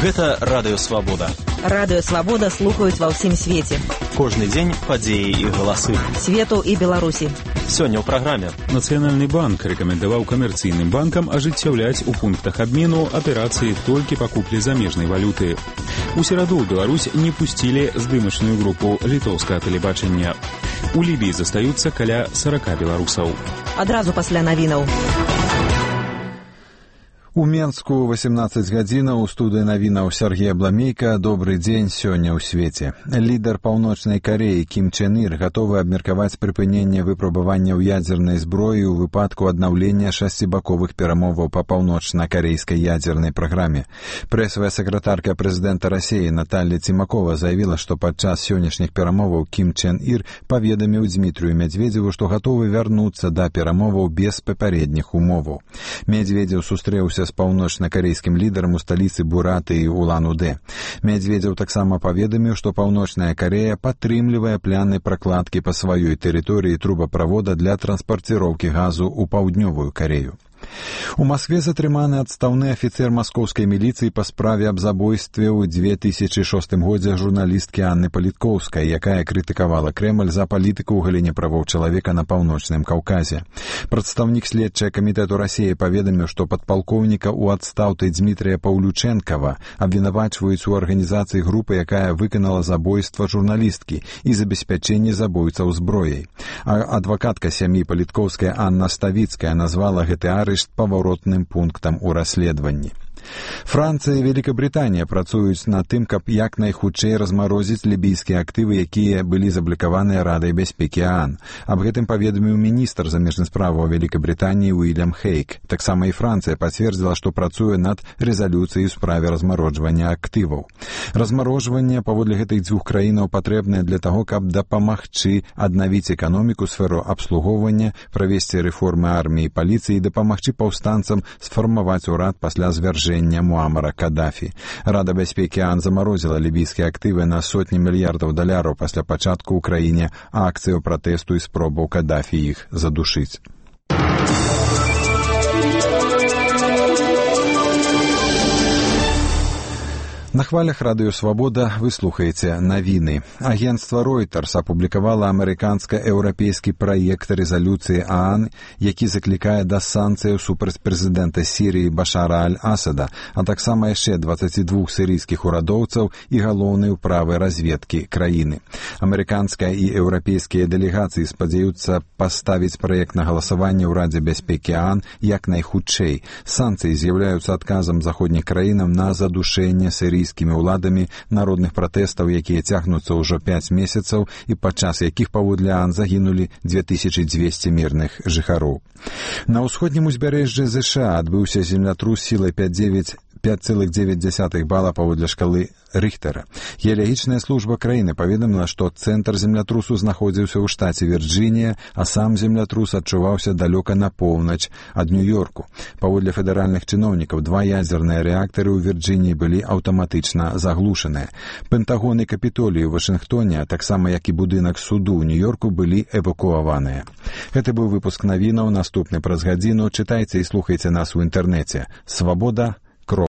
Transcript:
Гэта Радыё Свабода. Радыё Свабода слухаюць ва ўсім свеце. Кожны дзень падзеі і галасы. Свету і Беларусі. Сёння ў праграме. Нацыянальны банк рэкамендаваў камерцыйным банкам ажыццяўляць у пунктах абмену аперацыі толькі па куплі замежнай валюты. У сераду ў Беларусь не пусцілі здымачную групу літоўскага тэлебачання. У Лібіі застаюцца каля 40 беларусаў. Адразу пасля навінаў. У Менску 18 гадзінаў у студыі навінаў Сергей Абламейка. Добры дзень сёння ў свеце. Лідар Паўночнай Карэі Кім Чен Ір гатовы абмеркаваць прыпыненне выпрабаванняў ядзернай зброі ў выпадку аднаўлення шасцібаковых перамоваў па паўночна-карэйскай ядзернай праграме. Прэсавая сакратарка прэзідэнта Расіі Наталья Цімакова заявіла, што падчас сённяшніх перамоваў Кім Чен Ір паведаміў Дмітрію Медведзеву, што гатовы вярнуцца да перамоваў без папярэдніх умоваў. Медведзеў сустрэўся з паўночна-карэйскім лідарам у сталіцы Буратыі Улан-Удэ. Медведзеў таксама паведаміў, што Паўночная Карэя падтрымлівае планы пракладкі па сваёй тэрыторыі трубаправода для транспарціроўкі газу ў паўднёвую Карэю. У Маскве затрыманы адстаўны афіцэр маскоўскай міліцыі па справе аб забойстве ў 2006 годзе журналісткі Анны Паліткоўскай, якая крытыкавала Крэмль за палітыку ў галіне правоў чалавека на Паўночным Каўказе. Прадстаўнік следчага камітэту Расіі паведаміў, што падпалкоўніка ў адстаўцы Дмітрія Паўлючэнкава абвінавачваюць у арганізацыі групы, якая выканала забойства журналісткі і забеспячэнне забойцаў зброяй. А адвакатка сям'і Паліткоўскай Анна Ставіцкая назвала гэты арышт паваротным пунктам у расследаванні. Францыя і Великабрытанія працуюць над тым, каб як найхутчэй размарозіць лібійскія актывы, якія былі заблакаваныя Радай бяспекі ААН. Аб гэтым паведаміў міністр замежных справаў Великабрытаніі Уильям Хейк. Таксама і Францыя пацвердзіла, што працуе над рэзалюцыяй у справе размароджвання актываў. Размарожванне паводле гэтых дзвюх краінаў патрэбнае для таго, каб дапамагчы аднавіць эканоміку, сферу абслугоўвання, правесці рэформы арміі і паліцыі і дапамагчы паўстанцам сфармаваць урад пасля звяржэння Муамара Кадафі. Рада бяспекі ААН замарозіла лібійскія актывы на сотні мільярдаў даляраў пасля пачатку ў краіне акцыяў пратэсту і спробаў Кадафі іх задушыць. На хвалях Радыё Свабода вы слухаеце навіны. Агенцтва Reuters апублікавала амерыканска-еўрапейскі праект рэзалюцыі ААН, які заклікае да санкцыяў супраць прэзідэнта Сірыі Башара аль-Асада, а таксама яшчэ 22 сірыйскіх урадоўцаў і галоўнай управы разведкі краіны. Амерыканская і еўрапейскія дэлегацыі спадзяюцца паставіць праект на галасаванне ў Радзе бяспекі ААН як найхутчэй. Санкцыі з'яўляюцца адказам заходніх краінам на задушэнне сірыйскіх уладамі народных пратэстаў, якія цягнуцца ўжо 5 месяцаў і падчас якіх паводле ААН загінулі 2200 мірных жыхароў. На ўсходнім узбярэжжы ЗША адбыўся землятрус сілай 5,9 бала паводле шкалы Рыхтера. Геалагічная служба краіны паведаміла, што цэнтр землятрусу знаходзіўся ў штаце Вірджынія, а сам землятрус адчуваўся далёка на поўнач ад Нью-Йорку. Паводле федэральных чыноўнікаў, 2 ядзерныя рэактары ў Вірджыніі былі аўтаматычна заглушаныя. Пентагон і Капітолій у Вашынгтоне, таксама як і будынак суду ў Нью-Йорку, былі эвакуаваныя. Гэты быў выпуск навінаў. Наступны праз гадзіну. Чытайце і слухайце нас у інтэрнэце. Свабода.